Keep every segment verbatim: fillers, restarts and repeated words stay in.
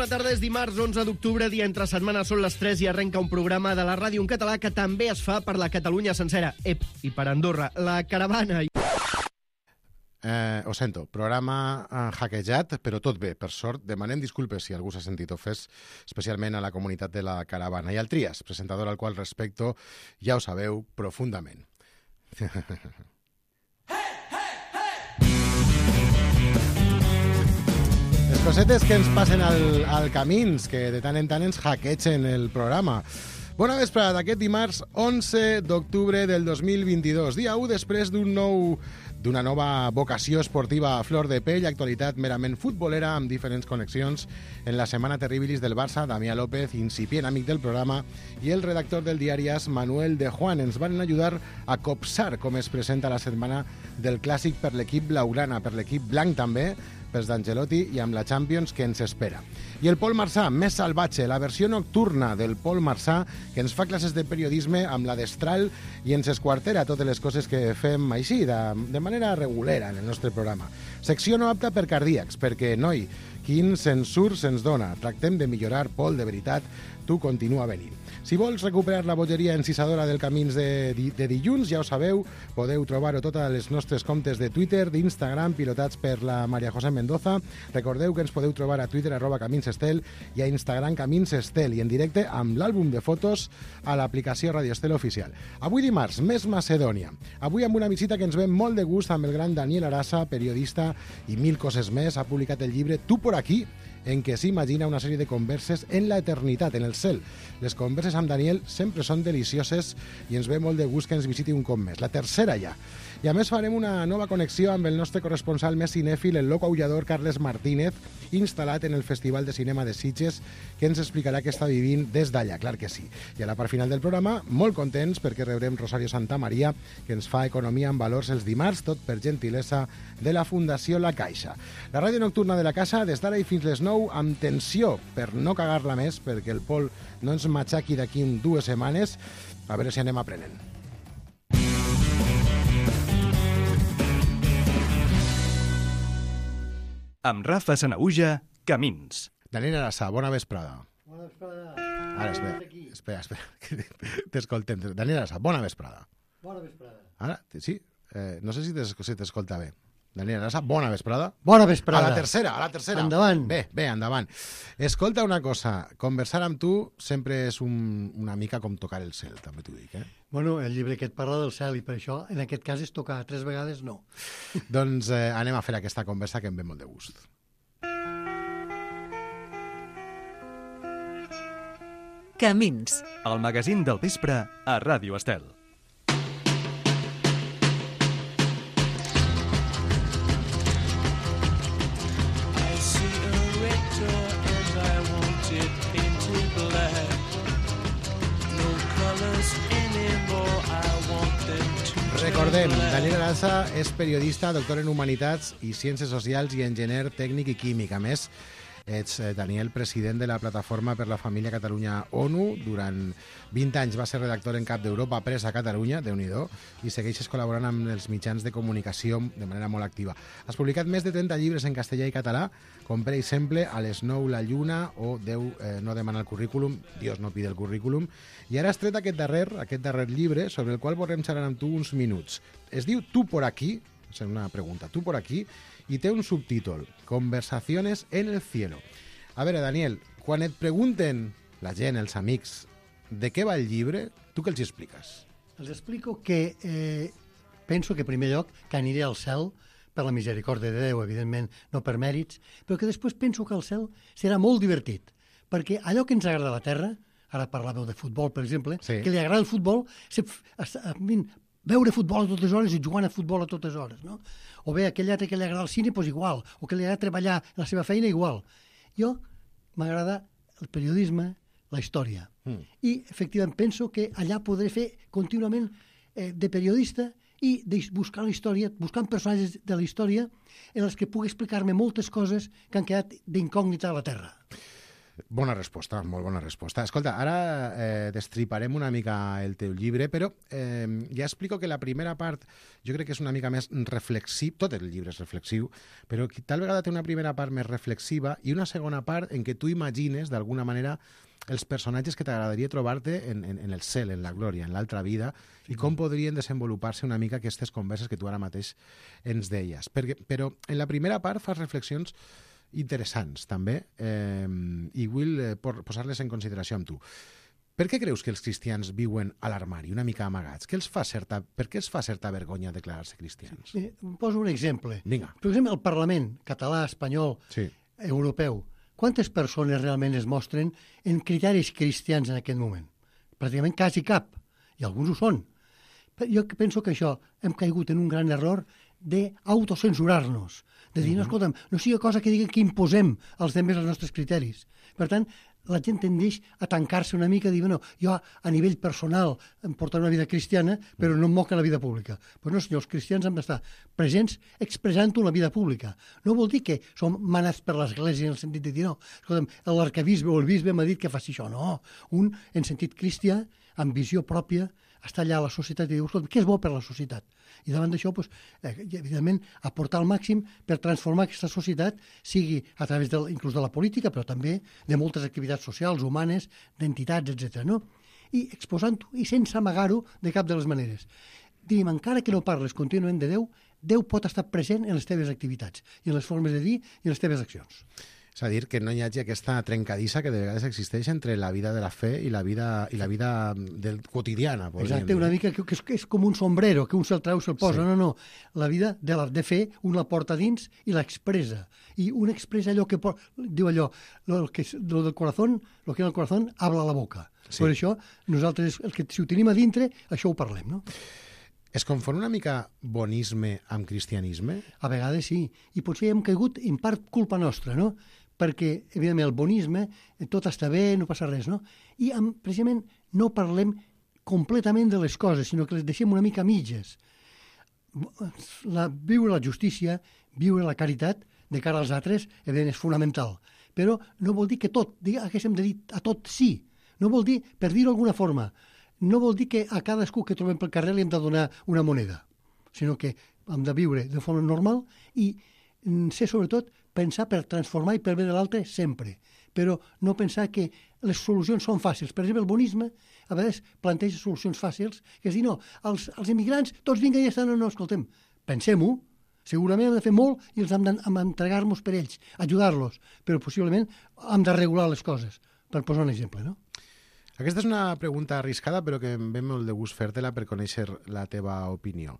Bona tarda, és dimarts onze d'octubre, dia entre setmana, són les tres i arrenca un programa de la ràdio en català que també es fa per la Catalunya sencera. Ep, i per Andorra, la caravana. Eh, ho sento, programa eh, hackejat, però tot bé, per sort. Demanem disculpes si algú s'ha sentit ofès, especialment a la comunitat de la caravana. I al Trias, presentador al qual respecto, ja ho sabeu, profundament. Les cosetes que ens passen al, al camins, que de tant en tant ens hackegen el programa. Bona vesprada d'aquest dimarts onze d'octubre del dos mil vint-i-dos, dia u després d'un nou d'una nova vocació esportiva a flor de pell, actualitat merament futbolera amb diferents connexions en la setmana terribilis del Barça, Damià López, incipient amic del programa, i el redactor del diari AS, Manuel de Juan, ens van ajudar a copsar com es presenta la setmana del clàssic per l'equip blaugrana, per l'equip blanc també, pels d'Ancelotti i amb la Champions que ens espera. I el Pol Marsà, més salvatge, la versió nocturna del Pol Marsà, que ens fa classes de periodisme amb la destral i ens esquartera totes les coses que fem així, de, de manera regulera en el nostre programa. Secció no apta per cardíacs, perquè, noi, quin censur se'ns dona. Tractem de millorar, Pol, de veritat, tu continua venint. Si vols recuperar la bogeria encisadora del Camins de, de dilluns, ja ho sabeu, podeu trobar-ho tot a les nostres comptes de Twitter, d'Instagram, pilotats per la Maria José Mendoza. Recordeu que ens podeu trobar a Twitter, arroba Camins Estel, i a Instagram Camins Estel, i en directe amb l'àlbum de fotos a l'aplicació Radio Estel Oficial. Avui dimarts, més Macedònia. Avui amb una visita que ens ve molt de gust amb el gran Daniel Arasa, periodista i mil coses més. Ha publicat el llibre Tu por aquí, en què s'imagina una sèrie de converses en la eternitat, en el cel. Les converses amb Daniel sempre són delicioses i ens ve molt de gust que ens visiti un cop més. La tercera ja. I a més farem una nova connexió amb el nostre corresponsal més cinèfil, el loco aullador Carles Martínez, instal·lat en el Festival de Cinema de Sitges, que ens explicarà què està vivint des d'allà, clar que sí. I a la part final del programa, molt contents perquè rebrem Rosario Santamaria, que ens fa economia en valors els dimarts, tot per gentilesa de la Fundació La Caixa. La ràdio nocturna de la casa, des d'ara i fins les nou, amb tensió, per no cagar-la més, perquè el Pol no ens matxaqui d'aquí dues setmanes, a veure si anem aprenent. Amb Rafa Sanaüja, Camins. Daniel Arasa, bona vesprada. Bona vesprada. Ara, espera, espera, espera. T'escoltem. Daniel Arasa, bona vesprada. Bona vesprada. Ara, sí? Eh, no sé si t'escolta bé. Daniel Arasa, bona vesprada. Bona vesprada. A la tercera, a la tercera. Endavant. Bé, bé, endavant. Escolta una cosa, conversar amb tu sempre és un, una mica com tocar el cel, també t'ho dic, eh? Bueno, el llibre que et parla del cel i per això, en aquest cas, és tocar tres vegades no. Doncs eh, anem a fer aquesta conversa que em ve molt de gust. Camins. El magazín del vespre a Ràdio Estel. Recordem, Daniel Arasa és periodista, doctor en Humanitats i Ciències Socials i enginyer tècnic i químic. A més, ets, Daniel, president de la Plataforma per la Família Catalunya ONU. Durant vint anys va ser redactor en cap d'Europa Press a Catalunya, Déu-n'hi-do, i segueixes col·laborant amb els mitjans de comunicació de manera molt activa. Has publicat més de trenta llibres en castellà i català, com per exemple A les nou la lluna o Déu eh, no demana el currículum, Dios no pide el currículum, i ara has tret aquest darrer, aquest darrer llibre sobre el qual volem xerrar amb tu uns minuts. Es diu Tu por aquí, és una pregunta, Tu por aquí, i té un subtítol, Conversaciones en el cielo. A veure, Daniel, quan et pregunten la gent, els amics, de què va el llibre, tu què els expliques? Els explico que eh, penso que, en primer lloc, que aniré al cel per la misericòrdia de Déu, evidentment, no per mèrits, però que després penso que el cel serà molt divertit, perquè allò que ens agrada a la Terra, ara parlàveu de futbol, per exemple, sí. Que li agrada el futbol, se, a, a, a, veure futbol a totes hores i jugant a futbol a totes hores, no? O bé aquell altre que li agrada el cine, doncs igual, o que li agrada treballar en la seva feina, igual. Jo m'agrada el periodisme, la història. Mm. I, efectivament, penso que allà podré fer contínuament eh, de periodista i de buscar la història, buscant personatges de la història en els que pugui explicar-me moltes coses que han quedat d'incògnita a la Terra. Bona resposta, molt bona resposta. Escolta, ara eh, destriparem una mica el teu llibre, però eh, ja explico que la primera part jo crec que és una mica més reflexiva, tot el llibre és reflexiu, però tal vegada té una primera part més reflexiva i una segona part en què tu imagines, d'alguna manera, els personatges que t'agradaria trobar-te en, en, en el cel, en la glòria, en l'altra vida, sí, i com podrien desenvolupar-se una mica aquestes converses que tu ara mateix ens deies. Perquè, però en la primera part fas reflexions interessants, també, eh, i vull eh, posar-les en consideració amb tu. Per què creus que els cristians viuen a l'armari, una mica amagats? Què els fa certa, per què els fa certa vergonya declarar-se cristians? Sí, poso un exemple. Vinga. Per exemple, el Parlament català, espanyol, sí. europeu, quantes persones realment es mostren en criteris cristians en aquest moment? Pràcticament quasi cap, i alguns ho són. Però jo penso que això hem caigut en un gran error d'autocensurar-nos, de dir, uh-huh. no, escolta'm, no sigui cosa que digui que imposem als altres els nostres criteris. Per tant, la gent tendeix a tancar-se una mica, a dir, bueno, jo a nivell personal em portaré una vida cristiana, però no em moc en la vida pública. Però no, senyor, els cristians hem d'estar presents expressant-ho en la vida pública. No vol dir que som manats per l'Església en el sentit de dir, no, escolta'm, l'arcabisbe o el bisbe m'ha dit que faci això. No, un, en sentit cristià, amb visió pròpia, està allà a la societat i diu, escolta, què és bo per la societat? I davant d'això, doncs, eh, evidentment, aportar al màxim per transformar aquesta societat, sigui a través del, inclús de la política, però també de moltes activitats socials, humanes, d'entitats, etcètera. No? I exposant-ho i sense amagar-ho de cap de les maneres. Diguem, encara que no parles contínuament de Déu, Déu pot estar present en les teves activitats i en les formes de dir i en les teves accions. És a dir, que no hi hagi aquesta trencadissa que de vegades existeix entre la vida de la fe i la vida, i la vida del quotidiana. Exacte, dir. Una mica que, que, és, que és com un sombrero, que un se'l treu, se'l posa. Sí. No, no, la vida de, la, de fe un la porta dins i l'expressa. I un expressa allò que... Por... Diu allò, lo, que, lo del corazón, lo que en el corazón habla la boca. Sí. Per això, nosaltres, el que, si ho tenim a dintre, això ho parlem, no? Es confon una mica bonisme amb cristianisme? A vegades sí, i potser hem caigut en part culpa nostra, no? Perquè, evidentment, el bonisme, tot està bé, no passa res, no? I, amb, precisament, no parlem completament de les coses, sinó que les deixem una mica a mitges. La, viure la justícia, viure la caritat de cara als altres, evidentment, és fonamental. Però no vol dir que tot, haguéssim de dir a tot sí. No vol dir, per dir-ho d'alguna forma, no vol dir que a cadascú que trobem pel carrer li hem de donar una moneda, sinó que hem de viure de forma normal i ser, sobretot, pensar per transformar i per bé de l'altre sempre, però no pensar que les solucions són fàcils. Per exemple, el bonisme a vegades planteja solucions fàcils, que és dir, no, els, els immigrants tots vinguen i ja estan, no, no, escoltem, pensem-ho, segurament hem de fer molt i els hem d'entregar-nos per ells, ajudar-los, però possiblement hem de regular les coses, per posar un exemple, no? Aquesta és una pregunta arriscada, però que em ve molt de gust fer-te-la per conèixer la teva opinió.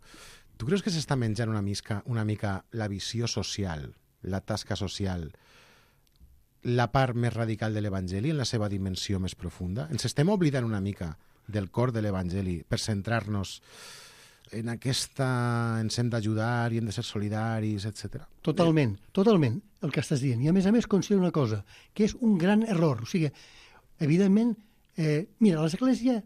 Tu creus que s'està menjant una mica, una mica la visió social, la tasca social, la part més radical de l'Evangeli en la seva dimensió més profunda? Ens estem oblidant una mica del cor de l'Evangeli per centrar-nos en aquesta... ens hem d'ajudar i hem de ser solidaris, etcètera. Totalment, totalment, el que estàs dient. I a més a més considero una cosa, que és un gran error. O sigui, evidentment, eh, mira, l'Església,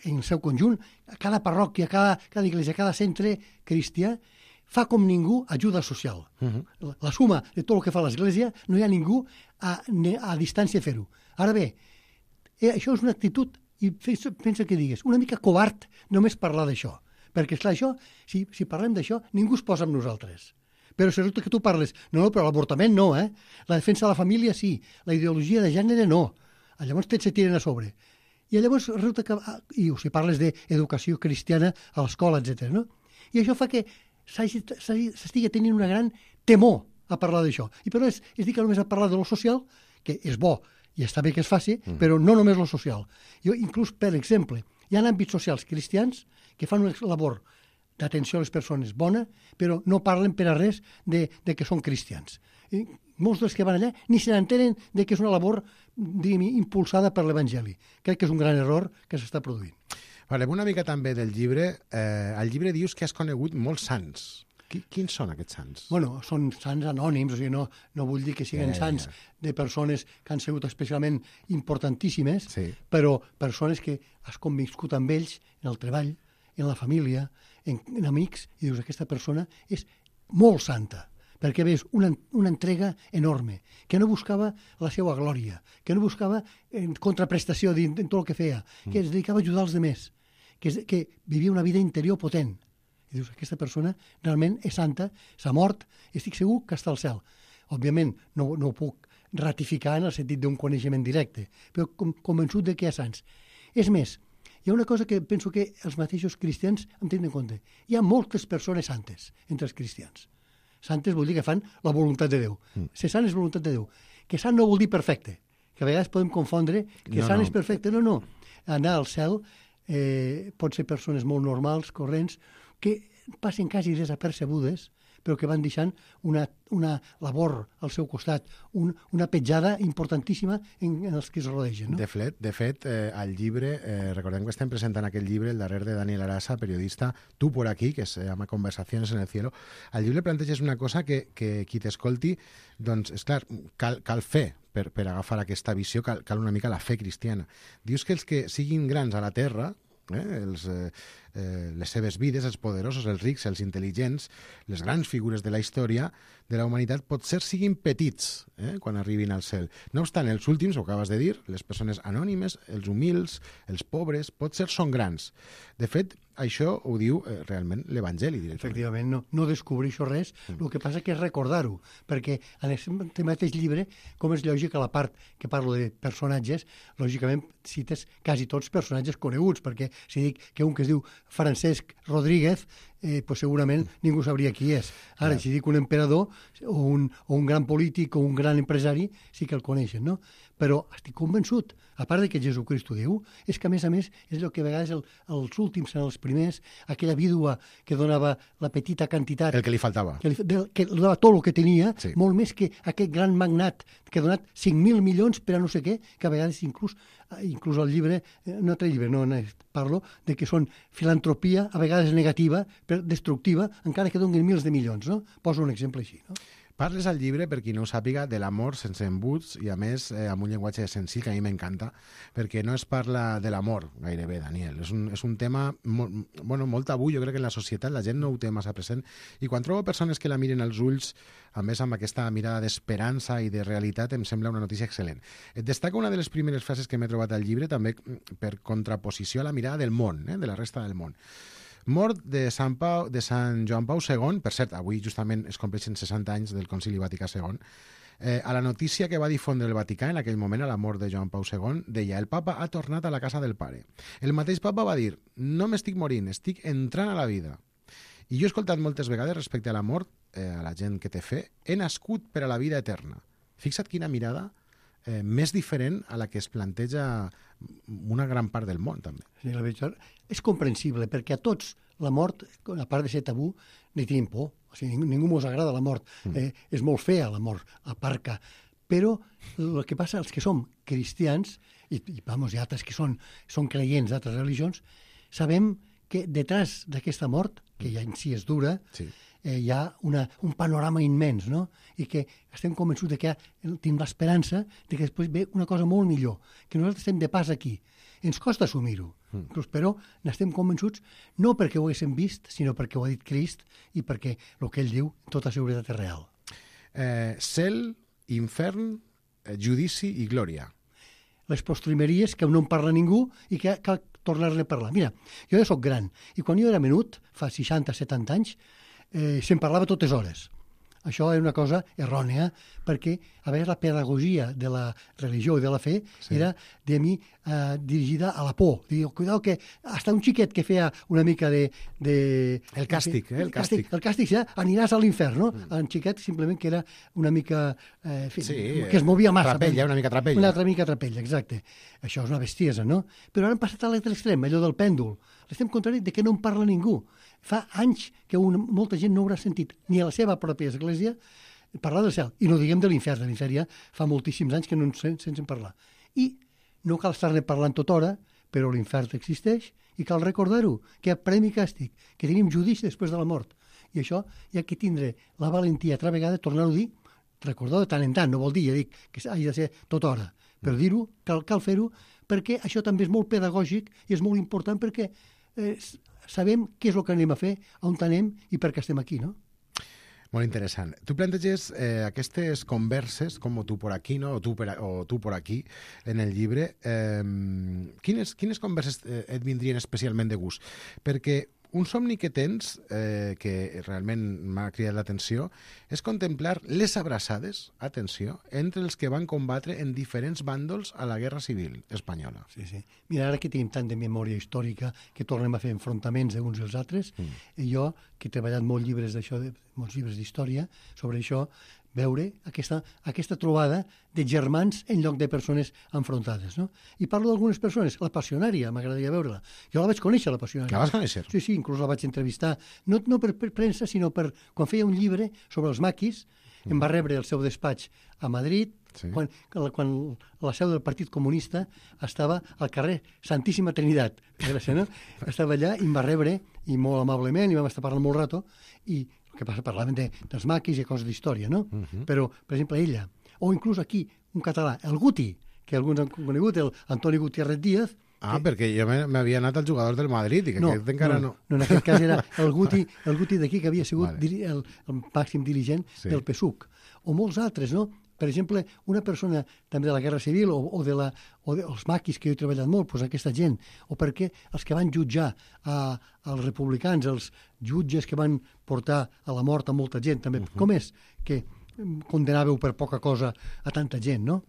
en el seu conjunt, cada parròquia, cada, cada església, cada centre cristià, fa com ningú ajuda social. Uh-huh. la, la suma de tot el que fa l'Església, no hi ha ningú a, a distància fer-ho. Ara bé, eh, això és una actitud, i pensa que digues, una mica covard només parlar d'això. Perquè, esclar, això, si, si parlem d'això, ningú es posa amb nosaltres. Però si resulta que tu parles, no, no, però l'avortament no, eh? La defensa de la família sí, la ideologia de gènere no. Llavors tots se tiren a sobre. I llavors resulta que... I si parles d'educació cristiana a l'escola, etcètera, no? I això fa que s'estigui tenint una gran temor a parlar d'això. I però és, és dir que només a parlar de lo social, que és bo i està bé que es faci, mm. però no només lo social. Jo, inclús, per exemple, hi ha àmbits socials cristians que fan una labor d'atenció a les persones bona, però no parlen per a res de, de que són cristians. I molts dels que van allà ni se n'entenen de que és una labor, diguem, impulsada per l'Evangeli. Crec que és un gran error que s'està produint. Parlem una mica també del llibre. Eh, al llibre dius que has conegut molts sants. Qui, quins són aquests sants? Bueno, són sants anònims, o sigui, no, no vull dir que siguin yeah, sants yeah. de persones que han sigut especialment importantíssimes, sí. però persones que has conviscut amb ells en el treball, en la família, en, en amics, i dius, aquesta persona és molt santa. perquè ves una, una entrega enorme, que no buscava la seva glòria, que no buscava en contraprestació en, en tot el que feia, que es dedicava a ajudar els demés, que, que vivia una vida interior potent. I dius, aquesta persona realment és santa, s'ha mort, i estic segur que està al cel. Òbviament, no, no ho puc ratificar en el sentit d'un coneixement directe, però com, convençut de que hi ha sants. És més, hi ha una cosa que penso que els mateixos cristians hem de tenir en compte. Hi ha moltes persones santes entre els cristians. Santes vol dir que fan la voluntat de Déu. Mm. Ser sant és voluntat de Déu. Que sant no vol dir perfecte, que a vegades podem confondre que no, sant no. és perfecte. No, no. Anar al cel eh, pot ser persones molt normals, corrents, que passen quasi desapercebudes, però que van deixant una, una labor al seu costat, un, una petjada importantíssima en, en els que es rodegen. No? De fet, de fet eh, al llibre, eh, recordem que estem presentant aquest llibre, el darrer de Daniel Arasa, periodista, Tu por aquí, que se llama Conversaciones en el cielo. Al llibre planteges una cosa que, que qui t'escolti, doncs, és clar, cal, cal fer per, per agafar aquesta visió, cal, cal una mica la fe cristiana. Dius que els que siguin grans a la terra, Eh, els, eh, eh, les seves vides, els poderosos, els rics, els intel·ligents, les grans figures de la història de la humanitat, potser siguin petits eh, quan arribin al cel. No obstant, els últims, ho acabes de dir, les persones anònimes, els humils, els pobres, potser són grans. De fet, això ho diu eh, realment l'Evangeli, directament. Efectivament, no, no descobreixo res, mm. el que passa que és recordar-ho, perquè en aquest mateix llibre, com és lògic, a la part que parlo de personatges, lògicament cites quasi tots personatges coneguts, perquè si dic que un que es diu Francesc Rodríguez, eh, pues segurament ningú sabria qui és. Ara, si dic un emperador o un, o un gran polític o un gran empresari, sí que el coneixen, no? Però estic convençut, a part de que Jesucrist ho diu, és que a més a més és el que a vegades el, els últims són els primers, aquella vídua que donava la petita quantitat... El que li faltava. Que li, de, que li donava tot el que tenia, sí. Molt més que aquest gran magnat que ha donat cinc mil milions per a no sé què, que a vegades inclús, inclús el llibre, un altre llibre, no, no parlo, de que són filantropia, a vegades negativa, però destructiva, encara que donin mils de milions, no? Poso un exemple així, no? Parles al llibre, per qui no ho sàpiga, de l'amor sense embuts i, a més, eh, amb un llenguatge senzill que a mi m'encanta, perquè no es parla de l'amor gairebé, Daniel. És un, és un tema molt, bueno, molt tabú, jo crec que en la societat la gent no ho té massa present, i quan trobo persones que la miren als ulls, a més amb aquesta mirada d'esperança i de realitat, em sembla una notícia excel·lent. Et destaca una de les primeres frases que m'he trobat al llibre, també per contraposició a la mirada del món, eh, de la resta del món. Mort de Sant, Pau, de Sant Joan Pau segon, per cert, avui justament es compleixen seixanta anys del Concili Vaticà segon, eh, a la notícia que va difondre el Vaticà en aquell moment, a la mort de Joan Pau segon, deia: el papa ha tornat a la casa del pare. El mateix papa va dir: no m'estic morint, estic entrant a la vida. I jo he escoltat moltes vegades respecte a la mort, eh, a la gent que té fe, he nascut per a la vida eterna. Fixa't quina mirada eh, més diferent a la que es planteja una gran part del món, també. Sí, la veritat és comprensible, perquè a tots la mort, a part de ser tabú, ni tenim por. O sigui, ningú, ningú mos agrada la mort. Mm. Eh, és molt fea la mort, a part que... Però el que passa, els que som cristians, i, i vamos, i altres que són, són creients d'altres religions, sabem que detrás d'aquesta mort, que ja en si és dura, sí. eh, hi ha una, un panorama immens, no? I que estem convençuts de que ha, tenim l'esperança de que després ve una cosa molt millor, que nosaltres estem de pas aquí. Ens costa assumir-ho, mm. però n'estem convençuts no perquè ho haguéssim vist, sinó perquè ho ha dit Crist i perquè el que ell diu, tota seguretat és real. Eh, cel, infern, eh, judici i glòria. Les postrimeries que no en parla ningú i que cal tornar-ne a parlar. Mira, jo ja sóc gran i quan jo era menut, fa seixanta setanta anys, eh, se'n parlava totes hores. Això és una cosa errònia, perquè a vegades la pedagogia de la religió i de la fe sí. era, de mi, eh, dirigida a la por. Diu, cuidao que hasta un xiquet que feia una mica de... de el càstig, eh? El càstig. El càstig, ja, aniràs a l'infern, no? Mm. En xiquet simplement que era una mica... Eh, fi, sí, que es movia massa. Trapella, una mica trapella. Una altra mica trapella, exacte. Això és una bestiesa, no? Però ara hem passat a l'altre extrem, allò del pèndol. L'estem contrari de que no en parla ningú. Fa anys que una, molta gent no haurà sentit ni a la seva pròpia església parlar del cel. I no diguem de l'infern. De l'infern ja fa moltíssims anys que no ens senten parlar. I no cal estar-ne parlant tota hora, però l'infern existeix i cal recordar-ho, que hi ha premi i càstig, que tenim judici després de la mort. I això hi ha que tindre la valentia altra vegada, tornar-ho a dir, recordar de tant en tant, no vol dir, ja dic, que hagi de ser tota hora, però dir-ho, cal, cal fer-ho, perquè això també és molt pedagògic i és molt important perquè eh, sabem què és el que anem a fer, on anem i per què estem aquí, no? Molt interessant. Tu planteges eh, aquestes converses, com tu por aquí, no? o, tu per, o tu por aquí, en el llibre. Eh, quines, quines converses eh, et vindrien especialment de gust? Perquè un somni que tens, eh, que realment m'ha cridat l'atenció, és contemplar les abraçades, atenció, entre els que van combatre en diferents bàndols a la Guerra Civil espanyola. Sí, sí. Mira, ara que tenim tant de memòria històrica que tornem a fer enfrontaments d'uns i els altres, mm. i jo, que he treballat molts llibres d'això, de, molts llibres d'història sobre això, veure aquesta, aquesta trobada de germans en lloc de persones enfrontades, no? I parlo d'algunes persones, la Passionària, m'agradaria veure-la. Jo la vaig conèixer, la Passionària. La vas conèixer? Sí, sí, inclús la vaig entrevistar, no, no per, per premsa, sinó per, quan feia un llibre sobre els maquis, mm. em va rebre el seu despatx a Madrid, sí. quan, quan la seu del Partit Comunista estava al carrer Santíssima Trinitat, gràcies, no? Estava allà i em va rebre, i molt amablement, i vam estar parlant molt rato, i el que passa, parlaven de, dels maquis i coses d'història, no? Uh -huh. Però, per exemple, ella, o inclús aquí, un català, el Guti, que alguns han conegut, el Antoni Gutiérrez Díaz. Ah, que... perquè jo m'havia anat al jugador del Madrid i que no, aquest encara no... No, no, en aquest cas era el Guti, el Guti d'aquí, que havia sigut vale. diri, el, el màxim dirigent sí. del P S U C. O molts altres, no? Per exemple, una persona també de la Guerra Civil o, o, de la, o dels maquis, que jo he treballat molt, doncs aquesta gent, o perquè els que van jutjar a, als republicans, els jutges que van portar a la mort a molta gent, també. Uh-huh. Com és que condenàveu per poca cosa a tanta gent, no?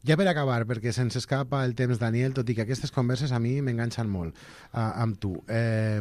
Ja per acabar, perquè se'ns escapa el temps, Daniel, tot i que aquestes converses a mi m'enganxen molt uh, amb tu. Eh,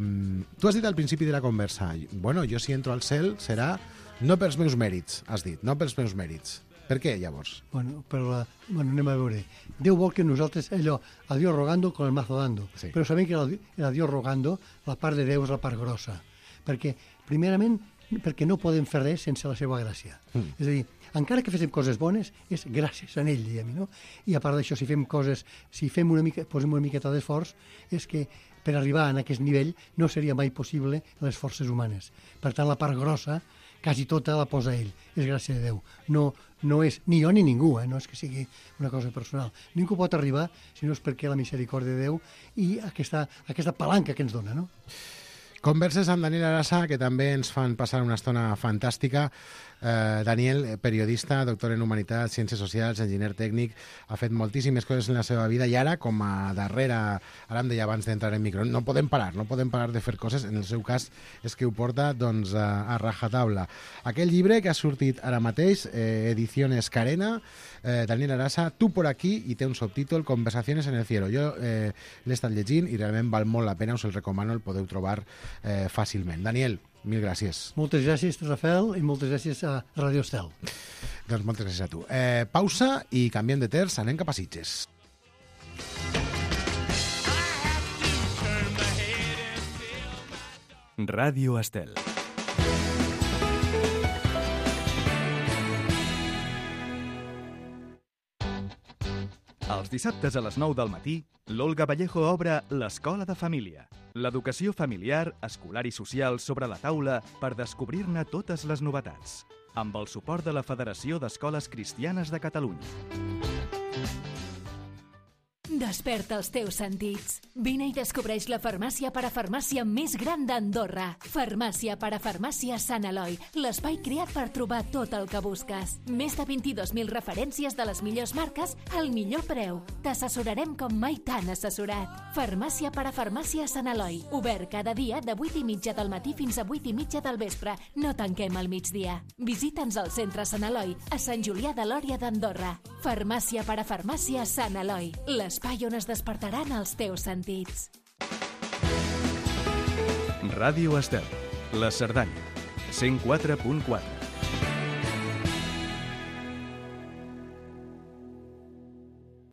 tu has dit al principi de la conversa, bueno, jo si entro al cel serà no pels meus mèrits, has dit, no pels meus mèrits. Per què, llavors? Bueno, per la... bueno, anem a veure. Déu vol que nosaltres, allò, a Dios rogando con el mazo dando. Sí. Però sabem que a Dios rogando la part de Déu és la part grossa. Perquè, primerament, perquè no podem fer res sense la seva gràcia. Mm. És a dir, encara que féssim coses bones, és gràcies a ell, diguem, no? I a part d'això, si fem coses, si fem una mica, posem una miqueta d'esforç, és que per arribar a aquest nivell no seria mai possible les forces humanes. Per tant, la part grossa, quasi tota la posa ell. És gràcia de Déu. No, no és ni jo ni ningú, eh? No és que sigui una cosa personal. Ningú pot arribar si no és perquè la misericòrdia de Déu i aquesta, aquesta palanca que ens dona, no? Converses amb Daniel Arasa, que també ens fan passar una estona fantàstica. Eh, Daniel, periodista, doctor en Humanitats, Ciències Socials, enginyer tècnic, ha fet moltíssimes coses en la seva vida i ara, com a darrere, ara em deia abans d'entrar en micro, no podem parar, no podem parar de fer coses. En el seu cas és que ho porta doncs, a, a rajatabla. Aquell llibre que ha sortit ara mateix, eh, Ediciones Carena, eh, Daniel Arasa, Tu por aquí, i té un subtítol, Conversaciones en el cielo. Jo eh, l'he estat llegint i realment val molt la pena, us el recomano, el podeu trobar eh, fàcilment. Daniel, mil gràcies. Moltes gràcies, Rafael, i moltes gràcies a Radio Estel. Doncs moltes gràcies a tu. Eh, pausa i canviem de terç, anem cap a Sitges. Ràdio Estel. Els dissabtes a les nou del matí, l'Olga Vallejo obre l'Escola de Família. L'educació familiar, escolar i social sobre la taula per descobrir-ne totes les novetats. Amb el suport de la Federació d'Escoles Cristianes de Catalunya. Desperta els teus sentits. Vine i descobreix la farmàcia parafarmàcia més gran d'Andorra. Farmàcia parafarmàcia Sant Eloi, l'espai creat per trobar tot el que busques. Més de vint-i-dos mil referències de les millors marques al millor preu. T'assessorarem com mai t'han assessorat. Farmàcia parafarmàcia Sant Eloi, obert cada dia de vuit i mitja del matí fins a vuit i mitja del vespre. No tanquem al migdia. Visita'ns al centre Sant Eloi, a Sant Julià de Lòria d'Andorra. Farmàcia parafarmàcia Sant Eloi, l'espai on es despertaran els teus sentits. Ràdio Estel, la Cerdanya, cent quatre punt quatre.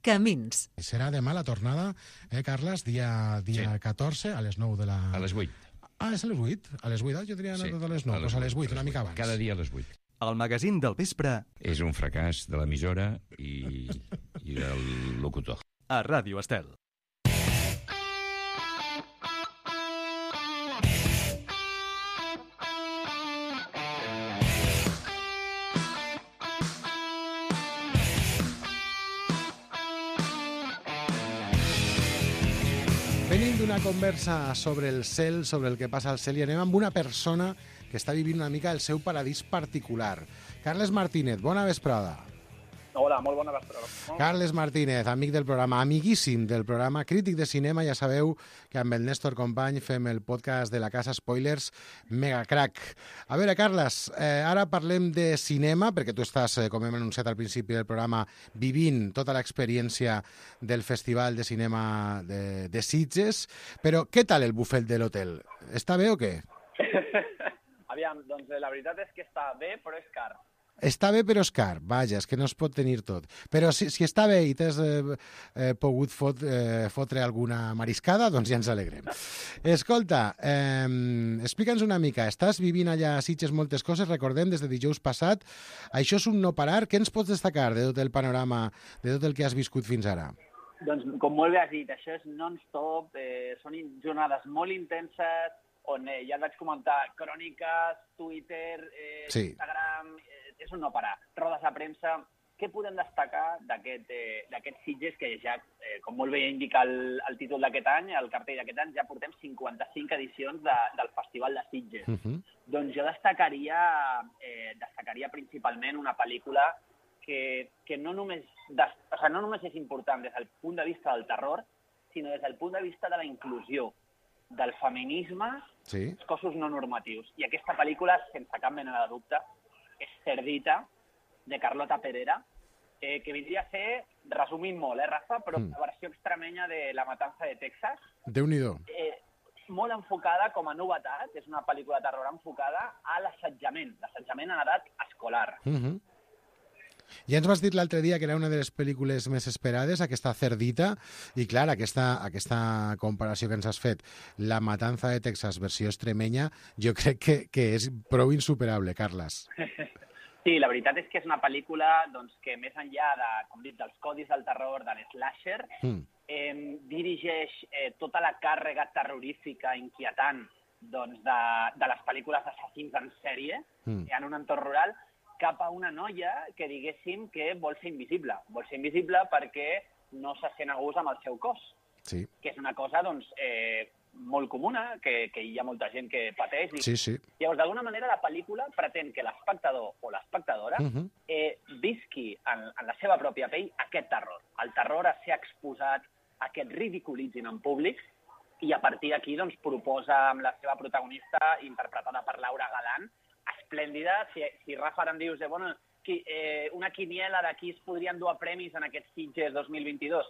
Camins. Serà demà la tornada, eh, Carles? Dia, dia sí. catorze, a les nou de la... A les vuit. Ah, és a les vuit? A les vuit, jo diria sí. a les nou, a les, doncs a les vuit, una mica abans. Cada dia a les vuit. El magazín del vespre... És un fracàs de l'emissora i, i del locutor. A Ràdio Estel. Venim d'una conversa sobre el cel, sobre el que passa al cel, i anem amb una persona que està vivint una mica el seu paradís particular. Carles Martínez, bona vesprada. Hola, molt bona vesprada. Carles Martínez, amic del programa, amiguíssim del programa, crític de cinema, ja sabeu que amb el Néstor Company fem el podcast de la Casa Spoilers, mega crack. A veure, Carles, eh, ara parlem de cinema, perquè tu estàs, eh, com hem anunciat al principi del programa, vivint tota l'experiència del Festival de Cinema de, de Sitges, però què tal el bufet de l'hotel? Està bé o què? Aviam, doncs la veritat és que està bé, però és car. Està bé, però és car. Vaja, és que no es pot tenir tot. Però si, si està bé i t'has eh, eh, pogut fot, eh, fotre alguna mariscada, doncs ja ens alegrem. Escolta, eh, explica'ns una mica. Estàs vivint allà a Sitges moltes coses, recordem, des de dijous passat. Això és un no parar. Què ens pots destacar de tot el panorama, de tot el que has viscut fins ara? Doncs, com molt bé has dit, això és non-stop, eh, són jornades molt intenses, on eh, ja et vaig comentar cròniques, Twitter, eh, sí. Instagram, eh, és un no parar, rodes de premsa. Què podem destacar d'aquest eh, Sitges, que ja, eh, com molt bé indica el, el títol d'aquest any, el cartell d'aquest any, ja portem cinquanta-cinc edicions de, del Festival de Sitges. Uh -huh. Doncs jo destacaria, eh, destacaria principalment una pel·lícula que, que no, només des, o sigui, no només és important des del punt de vista del terror, sinó des del punt de vista de la inclusió, del feminisme, sí. els cossos no normatius. I aquesta pel·lícula, sense cap mena de dubte, és Cerdita, de Carlota Perera, eh, que vindria a ser, resumint molt, eh, Rafa, però mm. la versió extremenya de La matança de Texas. Déu-n'hi-do. Eh, molt enfocada com a novetat, és una pel·lícula de terror enfocada a l'assetjament, l'assetjament en edat escolar. Mm-hmm. Ja ens vas dir l'altre dia que era una de les pel·lícules més esperades, aquesta Cerdita, i clar, aquesta, aquesta comparació que ens has fet, La matança de Texas versió extremenya, jo crec que, que és prou insuperable, Carles. Sí, la veritat és que és una pel·lícula doncs, que més enllà de, com dit, dels codis del terror, de l'slasher, mm. eh, dirigeix eh, tota la càrrega terrorífica inquietant doncs, de, de les pel·lícules d'assassins en sèrie mm. en un entorn rural, cap a una noia que diguéssim que vol ser invisible. Vol ser invisible perquè no se sent a gust amb el seu cos. Sí. Que és una cosa doncs, eh, molt comuna, que, que hi ha molta gent que pateix. Sí, sí. Llavors, d'alguna manera, la pel·lícula pretén que l'espectador o l'espectadora uh-huh. eh, visqui en, en la seva pròpia pell aquest terror. El terror a ser exposat, a que et ridiculitzin en públic, i a partir d'aquí doncs, proposa amb la seva protagonista, interpretada per Laura Galán, esplèndida. Si, si Rafa, ara em dius, eh, bueno, qui, eh, una quiniela de qui es podrien dur a premis en aquests Sitges dos mil vint-i-dos,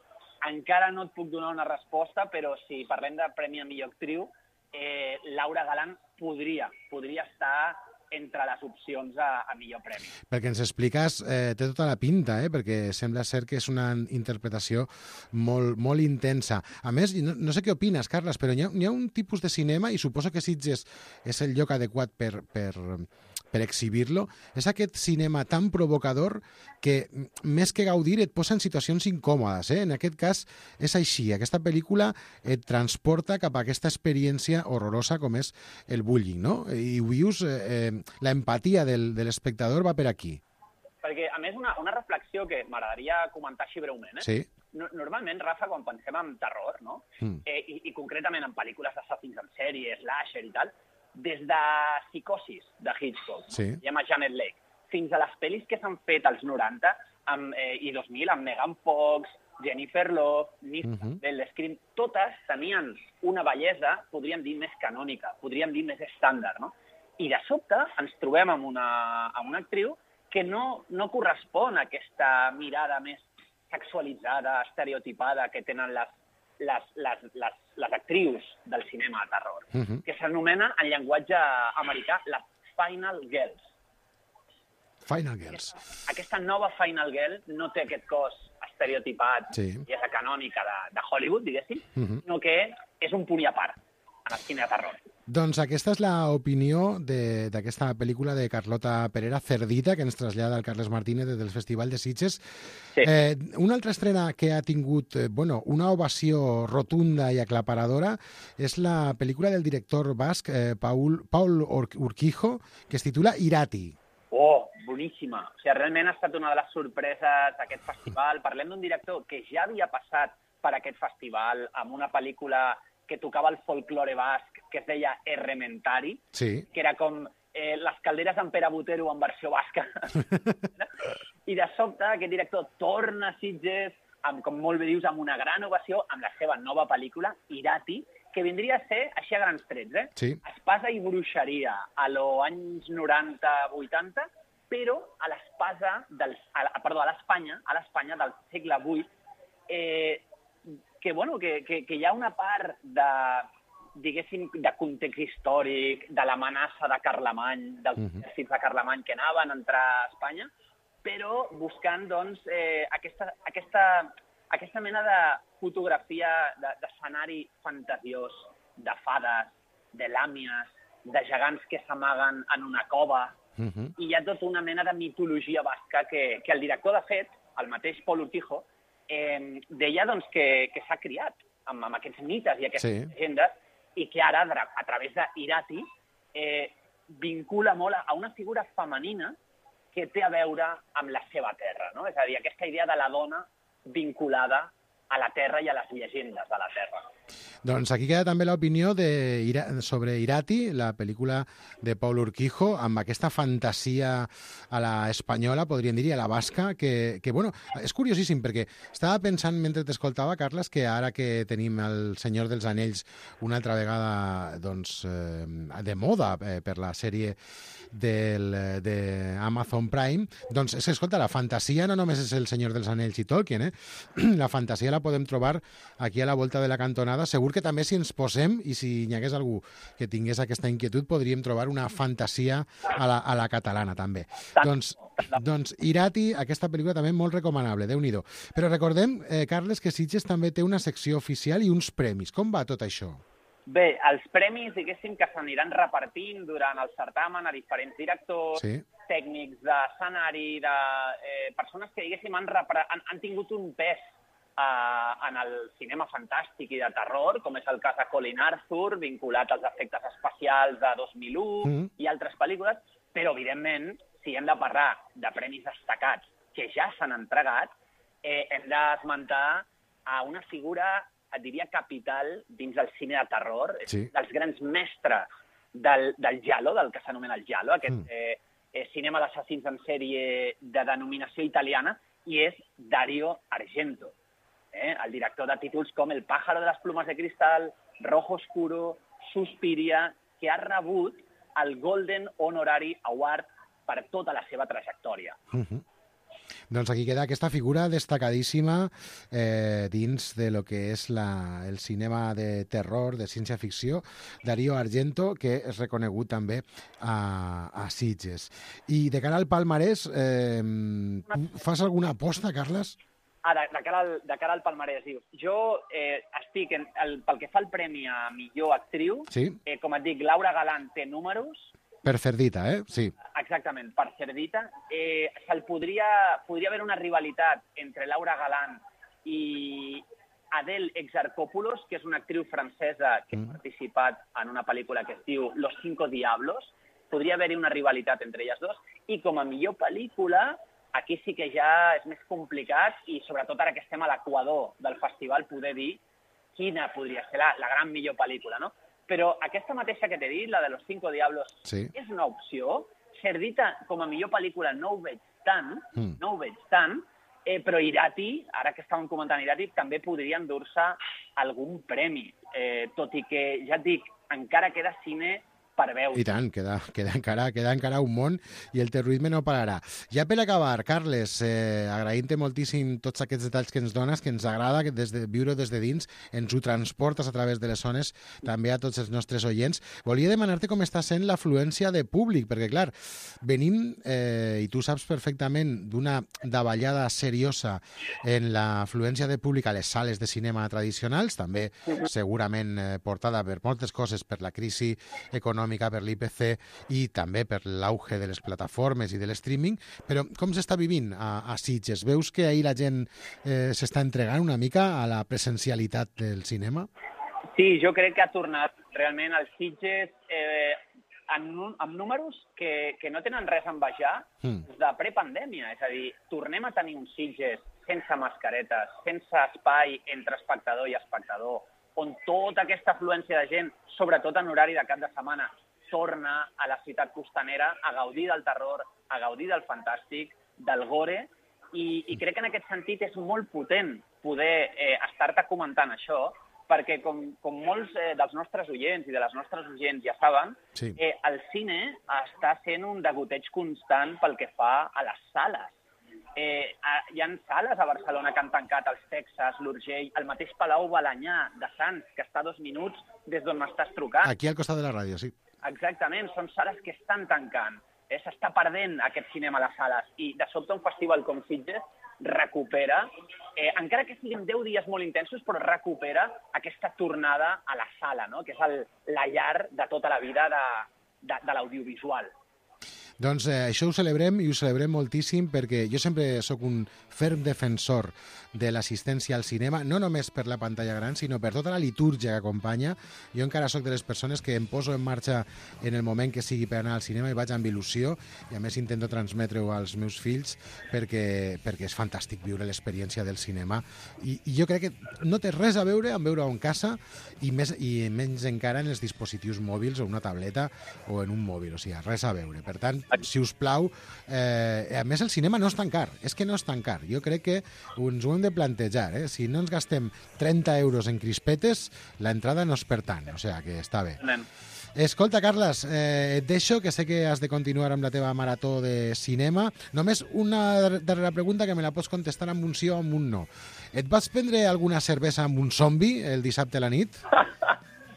encara no et puc donar una resposta, però si parlem de Premi a Millor Actriu, eh, Laura Galán podria, podria estar entre les opcions a, a millor premi. Perquè ens expliques, eh, té tota la pinta, eh, perquè sembla ser que és una interpretació molt, molt intensa. A més, no, no sé què opines, Carles, però hi ha, hi ha un tipus de cinema, i suposo que Sitges és el lloc adequat per, per, per exhibir-lo, és aquest cinema tan provocador que, més que gaudir, et posa en situacions incòmodes. Eh? En aquest cas, és així. Aquesta pel·lícula et transporta cap a aquesta experiència horrorosa com és el bullying, no? I ho vius... Eh, eh, l'empatia del, de l'espectador va per aquí. Perquè, a més, una, una reflexió que m'agradaria comentar així breument. Eh? Sí. No, normalment, Rafa, quan pensem en terror, no? Mm. Eh, i, i concretament en pel·lícules d'assassins en sèrie, slasher i tal, des de Psicosis, de Hitchcock, sí. i amb Janet Leigh, fins a les pel·lis que s'han fet als noranta amb, eh, i dos mil, amb Megan Fox, Jennifer Love, Nissa, uh-huh. Belle Scream, totes tenien una bellesa, podríem dir, més canònica, podríem dir més estàndard, no? I de sobte ens trobem amb una, amb una actriu que no, no correspon a aquesta mirada més sexualitzada, estereotipada que tenen les, les, les, les, les actrius del cinema de terror, uh-huh. que s'anomena en llenguatge americà les Final Girls. Final Girls. Aquesta, aquesta nova Final Girl no té aquest cos estereotipat sí. i és canònica de, de Hollywood, diguéssim, uh-huh. sinó que és un punt i a part en el cine de terror. Doncs aquesta és l'opinió d'aquesta pel·lícula de Carlota Perera, Cerdita, que ens trasllada el Carles Martínez des del Festival de Sitges. Sí. Eh, una altra estrena que ha tingut eh, bueno, una ovació rotunda i aclaparadora és la pel·lícula del director basc eh, Paul, Paul Urquijo, que es titula Irati. Oh, boníssima. O sigui, realment ha estat una de les sorpreses d'aquest festival. Parlem d'un director que ja havia passat per aquest festival amb una pel·lícula que tocava el folklore basc, que es deia Errementari, sí. que era com eh, les calderes en Pere Botero en versió basca. I de sobte aquest director torna a Sitges, amb, com molt bé dius, amb una gran ovació, amb la seva nova pel·lícula, Irati, que vindria a ser, així a grans trets, eh? Sí. Espasa i bruixeria, a los anys noranta vuitanta, però a l'espasa del, a, perdó, a l'Espanya, a l'Espanya del segle vuit, eh, que, bueno, que, que, que hi ha una part de, diguéssim, de context històric, de l'amenaça de Carlemany, dels exèrcits uh-huh. de Carlemany que anaven a entrar a Espanya, però buscant, doncs, eh, aquesta, aquesta, aquesta mena de fotografia, d'escenari de, fantasiós, de fades, de làmies, de gegants que s'amaguen en una cova, uh-huh. i hi ha tota una mena de mitologia basca que, que el director, de fet, el mateix Pol Urquijo, eh, deia doncs, que, que s'ha criat amb, amb aquests mites i aquestes sí. llegendes, i que ara, a través d'Irati, eh, vincula molt a una figura femenina que té a veure amb la seva terra, no? És a dir, aquesta idea de la dona vinculada a la terra i a les llegendes de la terra. Doncs aquí queda també l'opinió de Ira sobre Irati, la pel·lícula de Paul Urquijo, amb aquesta fantasia a la espanyola, podríem dir, a la basca, que, que bueno, és curiosíssim, perquè estava pensant, mentre t'escoltava, Carles, que ara que tenim el Senyor dels Anells una altra vegada doncs, eh, de moda eh, per la sèrie del, de Amazon Prime, doncs, és, escolta, la fantasia no només és el Senyor dels Anells i Tolkien, eh? La fantasia la podem trobar aquí a la volta de la cantonada. Segur que també si ens posem i si hi hagués algú que tingués aquesta inquietud podríem trobar una fantasia a la, a la catalana també. Doncs, doncs Irati, aquesta pel·lícula també molt recomanable, Déu-n'hi-do. Però recordem, eh, Carles, que Sitges també té una secció oficial i uns premis. Com va tot això? Bé, els premis, diguéssim, que s'aniran repartint durant el certamen a diferents directors, sí. tècnics d'escenari, de eh, persones que, diguéssim, han, han, han tingut un pes Uh, en el cinema fantàstic i de terror, com és el cas de Colin Arthur, vinculat als efectes especials de dos mil u mm. i altres pel·lícules, però, evidentment, si hem de parlar de premis destacats que ja s'han entregat, eh, hem d'esmentar a una figura, et diria, capital dins del cine de terror, sí. dels grans mestres del, del giallo, del que s'anomena el giallo, aquest mm. eh, eh, cinema d'assassins en sèrie de denominació italiana, i és Dario Argento. Eh, el director de títols com El pájaro de las plumas de cristal, Rojo Oscuro, Suspiria, que ha rebut el Golden Honorary Award per tota la seva trajectòria. Uh-huh. Doncs aquí queda aquesta figura destacadíssima eh, dins de lo que és la, el cinema de terror, de ciència-ficció, Dario Argento, que és reconegut també a, a Sitges. I de cara al palmarès, eh, fas alguna aposta, Carles? Ah, de, de, cara al, de cara al palmarès, dius. Jo eh, estic, en, el, pel que fa al premi a millor actriu, sí. eh, com et dic, Laura Galán té números. Per Cerdita, eh? Sí. Exactament, per Cerdita. Eh, se'l podria, podria haver una rivalitat entre Laura Galán i Adele Exarchopoulos, que és una actriu francesa que mm. ha participat en una pel·lícula que es diu Los Cinco Diablos. Podria haver-hi una rivalitat entre elles dos. I com a millor pel·lícula, aquí sí que ja és més complicat i sobretot ara que estem a l'equador del festival poder dir quina podria ser la, la gran millor pel·lícula, no? Però aquesta mateixa que t'he dit, la de Los Cinco Diablos, sí. és una opció. Cerdita, com a millor pel·lícula, no ho veig tant, mm. no ho veig tant, eh, però Irati, ara que estàvem comentant Irati, també podria endur-se algun premi, eh, tot i que, ja et dic, encara queda cine per veure. I tant, queda, queda, encara, queda encara un món i el terrorisme no pararà. Ja per acabar, Carles, eh, agraïm-te moltíssim tots aquests detalls que ens dones, que ens agrada que des de, viure des de dins, ens ho transportes a través de les zones, també a tots els nostres oients. Volia demanar-te com està sent l'afluència de públic, perquè, clar, venim, eh, i tu saps perfectament, d'una davallada seriosa en l'afluència de públic a les sales de cinema tradicionals, també segurament eh, portada per moltes coses, per la crisi econòmica, per l'I P C i també per l'auge de les plataformes i de l'streaming, però com s'està vivint a, a Sitges? Veus que ahir la gent eh, s'està entregant una mica a la presencialitat del cinema? Sí, jo crec que ha tornat realment als Sitges eh, amb, amb números que, que no tenen res a envejar mm. de prepandèmia. És a dir, tornem a tenir uns Sitges sense mascaretes, sense espai entre espectador i espectador, on tota aquesta afluència de gent, sobretot en horari de cap de setmana, torna a la ciutat costanera a gaudir del terror, a gaudir del fantàstic, del gore, i, i crec que en aquest sentit és molt potent poder eh, estar-te comentant això, perquè com, com molts eh, dels nostres oients i de les nostres oients ja saben, sí. eh, el cine està sent un degoteig constant pel que fa a les sales. Eh, hi ha sales a Barcelona que han tancat, els Texas, l'Urgell, el mateix Palau Balanyà de Sants, que està a dos minuts des d'on m'estàs trucant. Aquí al costat de la ràdio, sí. Exactament, són sales que estan tancant. Eh, s'està perdent aquest cinema a les sales i de sobte un festival com Sitges recupera, eh, encara que siguin deu dies molt intensos, però recupera aquesta tornada a la sala, no? Que és el, la llar de tota la vida de, de, de l'audiovisual. Doncs eh, això ho celebrem i ho celebrem moltíssim perquè jo sempre sóc un ferm defensor de l'assistència al cinema, no només per la pantalla gran, sinó per tota la litúrgia que acompanya. Jo encara sóc de les persones que em poso en marxa en el moment que sigui per anar al cinema i vaig amb il·lusió, i a més intento transmetre-ho als meus fills perquè, perquè és fantàstic viure l'experiència del cinema. I, I jo crec que no té res a veure amb veure-ho en casa i, més, i menys encara en els dispositius mòbils o una tableta o en un mòbil, o sigui, res a veure. Per tant, si us plau, eh, a més el cinema no és tan car, és que no és tan car. Jo crec que ens ho hem de plantejar, eh? Si no ens gastem trenta euros en crispetes, l'entrada no és per tant, o sigui que està bé. Anem. Escolta, Carles, eh, et deixo, que sé que has de continuar amb la teva marató de cinema. Només una darrera pregunta que me la pots contestar amb un sí o amb un no. Et vas prendre alguna cervesa amb un zombi el dissabte a la nit?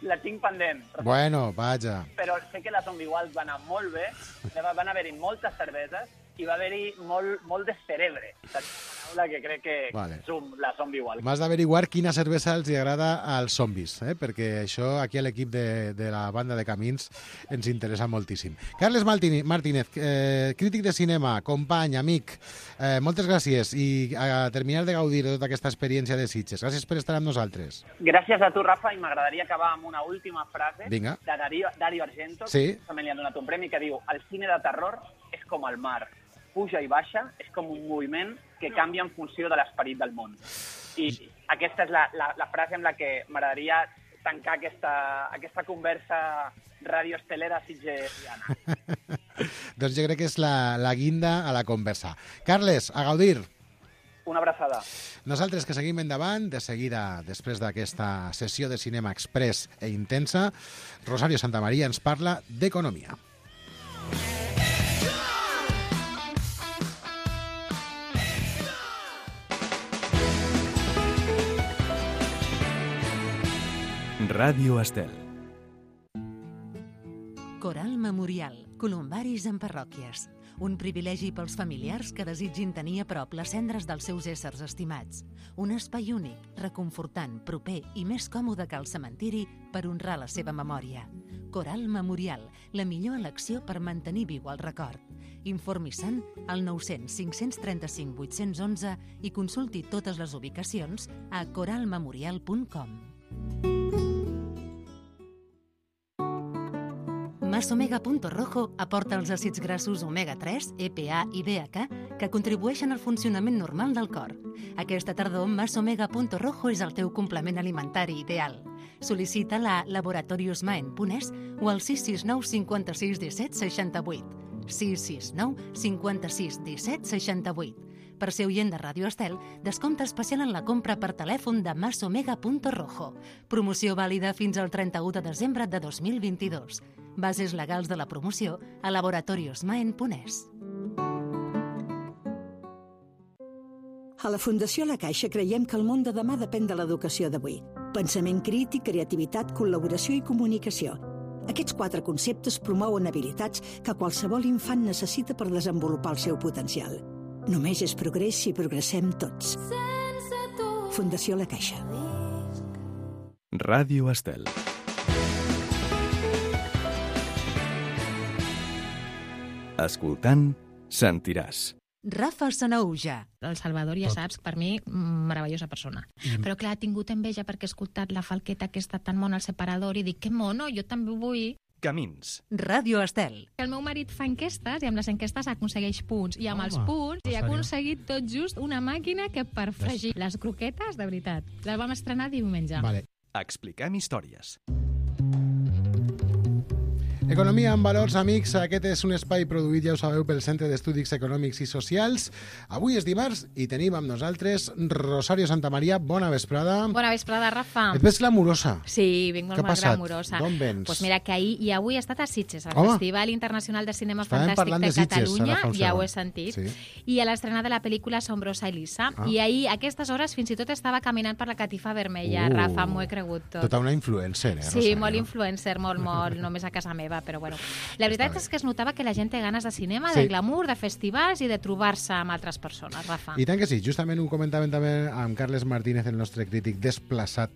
La tinc pendent. Bueno, vaja. Però sé que la Zombie Wild va anar molt bé, van haver-hi moltes cerveses i va haver-hi molt, molt de cerebre. Paraula que crec que vale. Som la Zombie Wild. M'has d'averiguar quina cervesa els agrada als zombis, eh? Perquè això aquí a l'equip de, de la banda de Camins ens interessa moltíssim. Carles Martínez, eh, crític de cinema, company, amic, eh, moltes gràcies i a terminar de gaudir de tota aquesta experiència de Sitges. Gràcies per estar amb nosaltres. Gràcies a tu, Rafa, i m'agradaria acabar amb una última frase Vinga. de Dario, Dario Argento, sí. que també li han donat un premi, que diu: el cine de terror és com el mar, puja i baixa, és com un moviment que canvia en funció de l'esperit del món. I aquesta és la, la, la frase amb la que m'agradaria tancar aquesta, aquesta conversa radioestelera sitgesiana. Doncs jo crec que és la, la guinda a la conversa. Carles, a gaudir. Una abraçada. Nosaltres que seguim endavant, de seguida, després d'aquesta sessió de cinema express e intensa, Rosario Santamaría ens parla d'economia. Ràdio Estel. Coral Memorial, columbaris en parròquies. Un privilegi pels familiars que desitgin tenir a prop les cendres dels seus éssers estimats. Un espai únic, reconfortant, proper i més còmode que el cementiri per honrar la seva memòria. Coral Memorial, la millor elecció per mantenir viu el record. Informi-se'n al nou cents cinc cents trenta-cinc vuit-cents onze i consulti totes les ubicacions a coral memorial punt com. Masomega Punto Rojo aporta els àcids grassos omega tres, E P A i D H que contribueixen al funcionament normal del cor. Aquesta tardor, Masomega Punto Rojo és el teu complement alimentari ideal. Sol·licita-la a laboratorios maen punt es o al sis sis nou cinquanta-sis disset seixanta-vuit. sis sis nou cinquanta-sis disset seixanta-vuit. Per ser oient de Ràdio Estel, descompte especial en la compra per telèfon de Masomega Punto Rojo. Promoció vàlida fins al trenta-u de desembre de dos mil vint-i-dos. Bases legals de la promoció a laboratorios maen punt es. A la Fundació La Caixa creiem que el món de demà depèn de l'educació d'avui. Pensament crític, creativitat, col·laboració i comunicació. Aquests quatre conceptes promouen habilitats que qualsevol infant necessita per desenvolupar el seu potencial. Només és progrés si progressem tots. Fundació La Caixa. Ràdio Estel. Escoltant, sentiràs. Rafa Sanauja. El Salvador, ja saps, per mi, meravellosa persona. Mm. Però clar, ha tingut enveja perquè he escoltat la falqueta aquesta tan mona al separador i dic, que mono, jo també vull. Camins. Ràdio Estel. El meu marit fa enquestes i amb les enquestes aconsegueix punts. I amb Home, els punts hi ha aconseguit tot just una màquina que per fregir Ves. les croquetes, de veritat. La vam estrenar diumenge. Vale. Expliquem històries. Economia amb valors, amics. Aquest és un espai produït, ja ho sabeu, pel Centre d'Estudis Econòmics i Socials. Avui és dimarts i tenim amb nosaltres Rosario Santamaria. Bona vesprada. Bona vesprada, Rafa. Et veig glamurosa. Sí, vinc molt, molt glamurosa. D'on vens? Pues mira, que ahir i avui he estat a Sitges, al Home. Festival Internacional de Cinema Estàvem Fantàstic parlant de, de Sitges, Catalunya, ara fa un ja ho segon. he sentit, Sí. i a l'estrena de la pel·lícula Asombrosa Elisa. Ah. I ahir, a aquestes hores, fins i tot estava caminant per la catifa vermella. Uh, Rafa, m'ho he cregut tot. Tota una influencer, eh, Sí, Rosario? molt influencer, molt, molt, només a casa meva, però bueno. La veritat és que es notava que la gent té ganes de cinema, Sí. de glamour, de festivals i de trobar-se amb altres persones, Rafa. I tant que sí, justament ho comentàvem també amb Carles Martínez, el nostre crític desplaçat,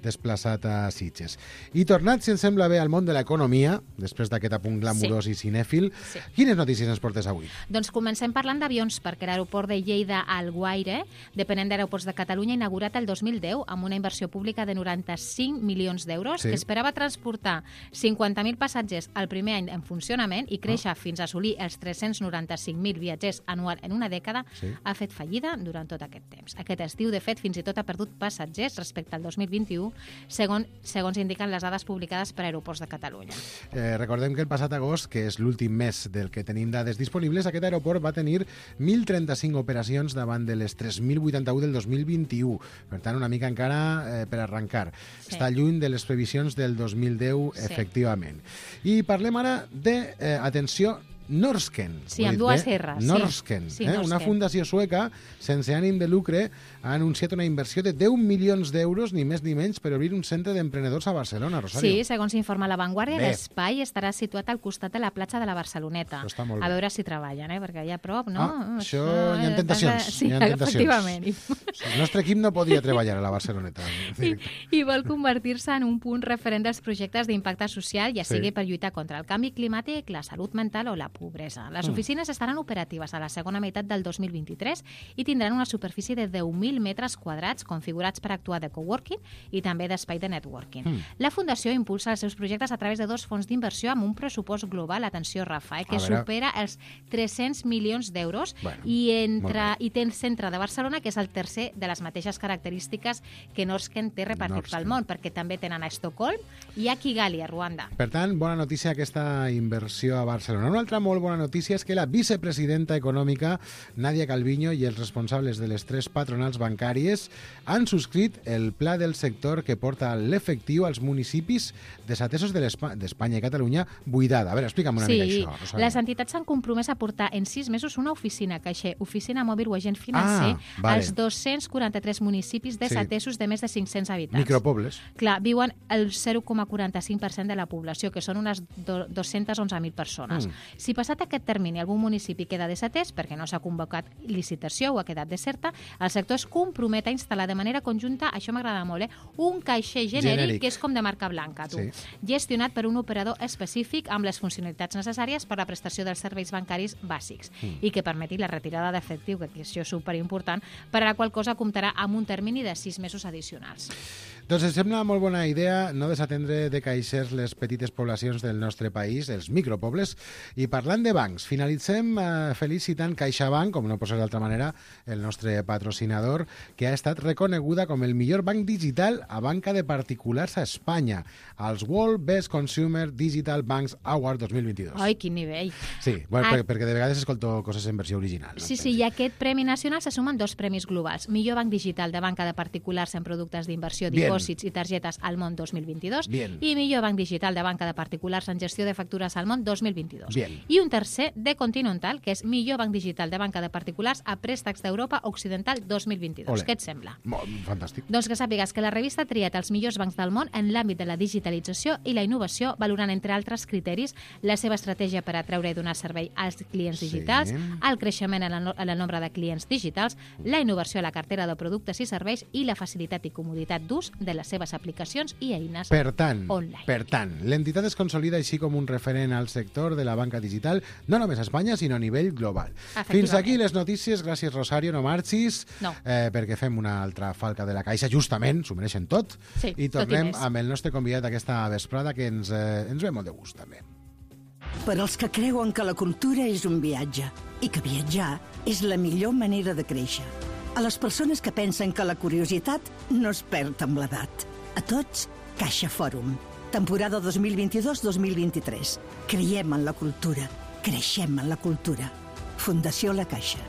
desplaçat a Sitges. I tornat, si ens sembla bé, al món de l'economia, després d'aquest apunt glamurós Sí. i cinèfil, Sí. quines notícies ens portes avui? Doncs comencem parlant d'avions, perquè l'aeroport de Lleida Alguaire, depenent d'Aeroports de Catalunya, inaugurat el dos mil deu amb una inversió pública de noranta-cinc milions d'euros, Sí. que esperava transportar cinquanta mil passatgers el primer any en funcionament i créixer fins a assolir els tres-cents noranta-cinc mil viatgers anual en una dècada, Sí. ha fet fallida durant tot aquest temps. Aquest estiu, de fet, fins i tot ha perdut passatgers respecte al dos mil vint-i-u, segons, segons indiquen les dades publicades per Aeroports de Catalunya. Eh, recordem que el passat agost, que és l'últim mes del que tenim dades disponibles, aquest aeroport va tenir mil trenta-cinc operacions davant de les tres mil vuitanta-u del dos mil vint-i-u. Per tant, una mica encara eh, per arrencar. Sí. Està lluny de les previsions del dos mil deu, Sí. efectivament. I parlem ara de, eh, atenció, Norsken. Sí, Ho he amb dit dues bé? R's, sí. Norsken, Sí, eh? Norsken. Una fundació sueca sense ànim de lucre ha anunciat una inversió de deu milions d'euros, ni més ni menys, per obrir un centre d'emprenedors a Barcelona, Rosario. Sí, segons informa La Vanguardia, Bé. l'espai estarà situat al costat de la platja de la Barceloneta. Això està molt A bé. veure si treballen, eh? perquè allà a prop, no? Ah, això hi ha tentacions, Sí, hi ha tentacions. efectivament. I, El nostre equip no podia treballar a la Barceloneta. i, i vol convertir-se en un punt referent dels projectes d'impacte social, ja Sí. sigui per lluitar contra el canvi climàtic, la salut mental o la pobresa. Les Mm. oficines estaran operatives a la segona meitat del dos mil vint-i-tres i tindran una superfície de deu mil metres quadrats configurats per actuar de coworking i també d'espai de networking. Mm. La Fundació impulsa els seus projectes a través de dos fons d'inversió amb un pressupost global, atenció, Rafa, eh, que A veure. supera els tres-cents milions d'euros Bueno, i, entre, molt i té el centre de Barcelona, que és el tercer de les mateixes característiques que Norsken té repartit Norsken. pel món, perquè també tenen a Estocolm i a Kigali, a Ruanda. Per tant, bona notícia aquesta inversió a Barcelona. Una altra molt bona notícia és que la vicepresidenta econòmica, Nadia Calviño, i els responsables de les tres patronals bancàries han subscrit el pla del sector que porta l'efectiu als municipis desatesos de l'Espa- d'Espanya i Catalunya buidada. A veure, explica'm una Sí, mica això, Rosario. les entitats s'han compromès a portar en sis mesos una oficina caixer, oficina mòbil o agent financer Ah, vale. als dos-cents quaranta-tres municipis desatesos de més de cinc-cents habitants. Micropobles. Clar, viuen el zero coma quaranta-cinc per cent de la població, que són unes do- dos-cents onze mil persones. Mm. Si passat aquest termini algun municipi queda desatès perquè no s'ha convocat licitació o ha quedat deserta, el sector es compromet a instal·lar de manera conjunta, això m'agrada molt, eh, un caixer genèric, Genèric. que és com de marca blanca, tu, Sí. gestionat per un operador específic amb les funcionalitats necessàries per a la prestació dels serveis bancaris bàsics Mm. i que permeti la retirada d'efectiu, que això és superimportant, per a la qual cosa comptarà amb un termini de sis mesos addicionals. Doncs em sembla molt bona idea no desatendre de caixers les petites poblacions del nostre país, els micropobles. I parlant de bancs, finalitzem eh, felicitant CaixaBank, com no pot ser d'altra manera, el nostre patrocinador, que ha estat reconeguda com el millor banc digital a banca de particulars a Espanya, als World Best Consumer Digital Banks Award dos mil vint-i-dos. Ai, quin nivell. Sí, bueno, Ah. per, perquè de vegades escolto coses en versió original. No? Sí, sí, i a aquest Premi Nacional se sumen dos premis globals. Millor banc digital de banca de particulars en productes d'inversió, Bien. dipòsits i targetes al món dos mil vint-i-dos Bien. i millor banc digital de banca de particulars en gestió de factures al món dos mil vint-i-dos. Bien. I un tercer de Continental, que és millor banc digital de banca de particulars a préstecs d'Europa Occidental dos mil vint-i-dos. Ole. Què et sembla? Molt, fantàstic. Doncs que sàpigues que la revista ha triat els millors bancs del món en l'àmbit de la digitalització i la innovació, valorant, entre altres criteris, la seva estratègia per atreure i donar servei als clients Sí. digitals, el creixement en el, no- en el nombre de clients digitals, la innovació a la cartera de productes i serveis i la facilitat i comoditat d'ús de les seves aplicacions i eines Per tant, online. per tant, l'entitat es consolida així com un referent al sector de la banca digital, no només a Espanya, sinó a nivell global. Efectivament. Fins aquí les notícies. Gràcies, Rosario, no marxis, No. eh, perquè fem una altra falca de la caixa, justament, s'ho mereixen tot, Sí, i tot i tornem més. amb el nostre convidat aquesta vesprada, que ens, eh, ens ve molt de gust, també. Per als que creuen que la cultura és un viatge i que viatjar és la millor manera de créixer. A les persones que pensen que la curiositat no es perd amb l'edat. A tots, Caixa Fòrum. Temporada dos mil vint-i-dos dos mil vint-i-tres. Creiem en la cultura. Creixem en la cultura. Fundació La Caixa.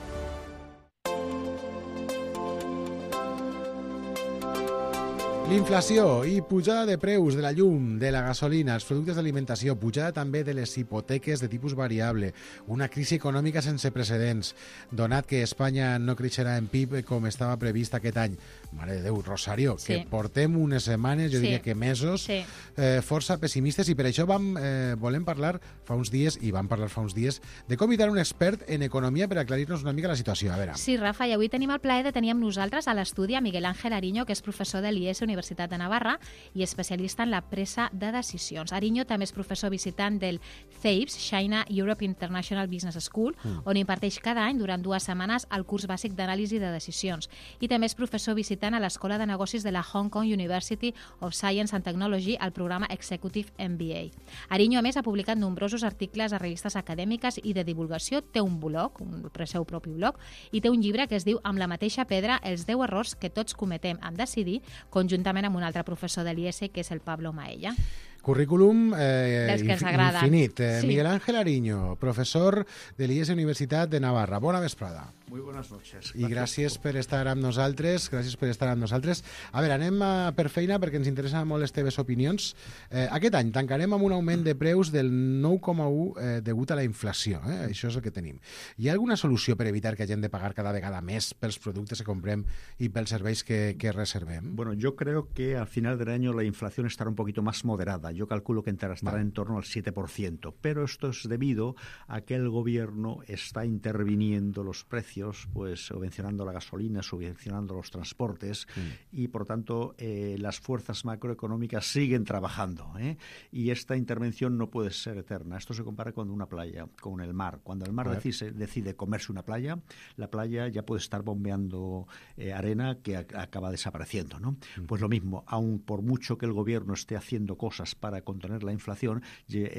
L'inflació i pujada de preus de la llum, de la gasolina, els productes d'alimentació, pujada també de les hipoteques de tipus variable, una crisi econòmica sense precedents, donat que Espanya no creixerà en P I B com estava previst aquest any. Mare de Déu, Rosario, Sí. que portem unes setmanes, jo Sí. diria que mesos, Sí. eh, força pessimistes, i per això vam, eh, volem parlar fa uns dies, i vam parlar fa uns dies, de convidar un expert en economia per aclarir-nos una mica la situació. A veure. Sí, Rafa, i avui tenim el plaer de tenir amb nosaltres a l'estudi a Miguel Ángel Ariño, que és professor de l'I E S Universitat de Navarra i especialista en la presa de decisions. Ariño també és professor visitant del C E I B S, China Europe International Business School, mm. on imparteix cada any durant dues setmanes el curs bàsic d'anàlisi de decisions. I també és professor visitant a l'Escola de Negocis de la Hong Kong University of Science and Technology al programa Executive M B A. Ariño, a més, ha publicat nombrosos articles a revistes acadèmiques i de divulgació, té un blog, un seu propi blog, i té un llibre que es diu Amb la mateixa pedra, els deu errors que tots cometem en decidir, conjuntament amb un altre professor de l'I E S, que és el Pablo Maella. Currículum eh, Dels que ens infi- agrada. infinit. Eh, Sí. Miguel Ángel Ariño, professor de l'I E S Universitat de Navarra. Bona vesprada. Muy buenas noches. I gràcies per estar amb nosaltres. Gràcies per estar amb nosaltres. A veure, anem a, per feina, perquè ens interessen molt les teves opinions. Eh, aquest any tancarem amb un augment de preus del nou coma u eh, degut a la inflació. Eh? Això és el que tenim. Hi ha alguna solució per evitar que hagin de pagar cada vegada més pels productes que comprem i pels serveis que, que reservem? Bueno, yo creo que al final del año la inflación estará un poquito más moderada. Yo calculo que estará Vale. en torno al siete por ciento. Pero esto es debido a que el gobierno está interviniendo los precios, pues subvencionando la gasolina, subvencionando los transportes Mm. y, por tanto, eh, las fuerzas macroeconómicas siguen trabajando, ¿eh? Y esta intervención no puede ser eterna. Esto se compara con una playa, con el mar. Cuando el mar A ver. decide, decide comerse una playa, la playa ya puede estar bombeando eh, arena que a- acaba desapareciendo, ¿no? Pues lo mismo, aun por mucho que el gobierno esté haciendo cosas para contener la inflación, ye- eh,